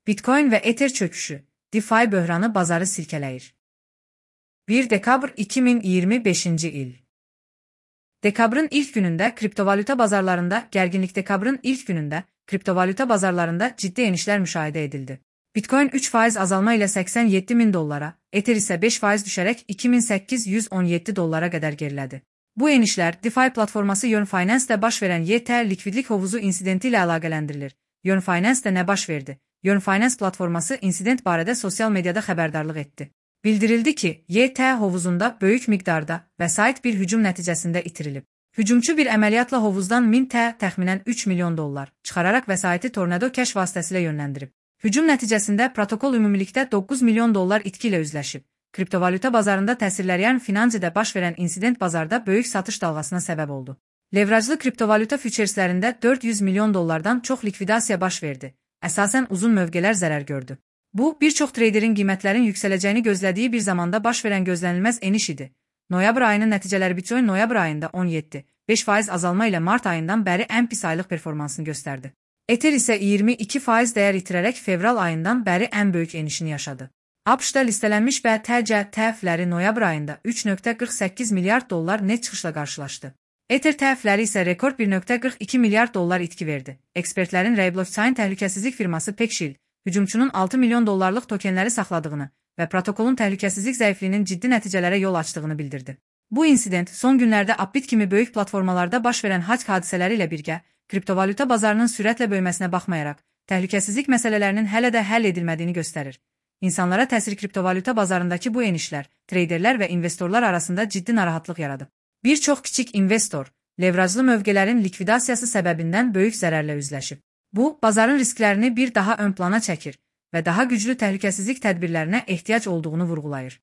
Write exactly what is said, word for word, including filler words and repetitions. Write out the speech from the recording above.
Bitcoin ve Ether çöküşü, DeFi böhranı bazarı silkeləyir. bir dekabr iki min iyirmi beşinci il. Dekabrın ilk günündə kriptovalyuta bazarlarında gərginlik Dekabrın ilk günündə kriptovalyuta bazarlarında ciddi enişlər müşahidə edildi. Bitcoin üç faiz azalma ilə səksən yeddi min dollara, Ether isə beş faiz düşərək iki min səkkiz yüz on yeddi dollara qədər gerilədi. Bu enişlər DeFi platforması Yearn Finance-də baş verən Y T likvidlik hovuzu insidenti ilə əlaqələndirilir. Yearn Finance-də nə baş verdi? Yearn Finance platforması insident barədə sosial mediada xəbərdarlıq etdi. Bildirildi ki, Y T hovuzunda böyük miqdarda vəsait bir hücum nəticəsində itirilib. Hücumçu bir əməliyyatla hovuzdan min T təxminən üç milyon dollar çıxararaq vəsaiti Tornado Cash vasitəsilə yönləndirib. Hücum nəticəsində protokol ümumilikdə doqquz milyon dollar itki ilə üzləşib. Kriptovalyuta bazarında təsirləyən Finansidə baş verən insident bazarda böyük satış dalğasına səbəb oldu. Levrajlı kriptovalyuta füçerslərində dörd yüz milyon dollardan çox likvidasiya baş verdi. Əsasən uzun mövqelər zərər gördü. Bu, bir çox treyderin qiymətlərin yüksələcəyini gözlədiyi bir zamanda baş verən gözlənilməz eniş idi. Noyabr ayının nəticələri Bitcoin noyabr ayında on yeddi beş faiz azalma ilə mart ayından bəri ən pis aylıq performansını göstərdi. Ether isə iyirmi iki faiz dəyər itirərək fevral ayından bəri ən böyük enişini yaşadı. ABŞ-da listelənmiş B T C T F-ləri noyabr ayında üç nöqtə qırx səkkiz milyard dollar net çıxışla qarşılaşdı. Ether T F-ləri isə rekord bir nöqtə qırx iki milyard dollar itki verdi. Ekspertlərin Ray Blockchain təhlükəsizlik firması PeckShield, hücumçunun altı milyon dollarlıq tokenləri saxladığını və protokolun təhlükəsizlik zəifliyinin ciddi nəticələrə yol açdığını bildirdi. Bu insident son günlərdə Upbit kimi böyük platformalarda baş verən hack hadisələri ilə birgə, kriptovalyuta bazarının sürətlə böyüməsinə baxmayaraq, təhlükəsizlik məsələlərinin hələ də həll edilmədiyini göstərir. İnsanlara təsir kriptovalyuta bazarındakı bu enişlər, treyderlər və investorlar arasında ciddi narahatlıq yaradıb. Bir çox kiçik investor, levrajlı mövqələrin likvidasiyası səbəbindən böyük zərərlə üzləşib. Bu, bazarın risklərini bir daha ön plana çəkir və daha güclü təhlükəsizlik tədbirlərinə ehtiyac olduğunu vurğulayır.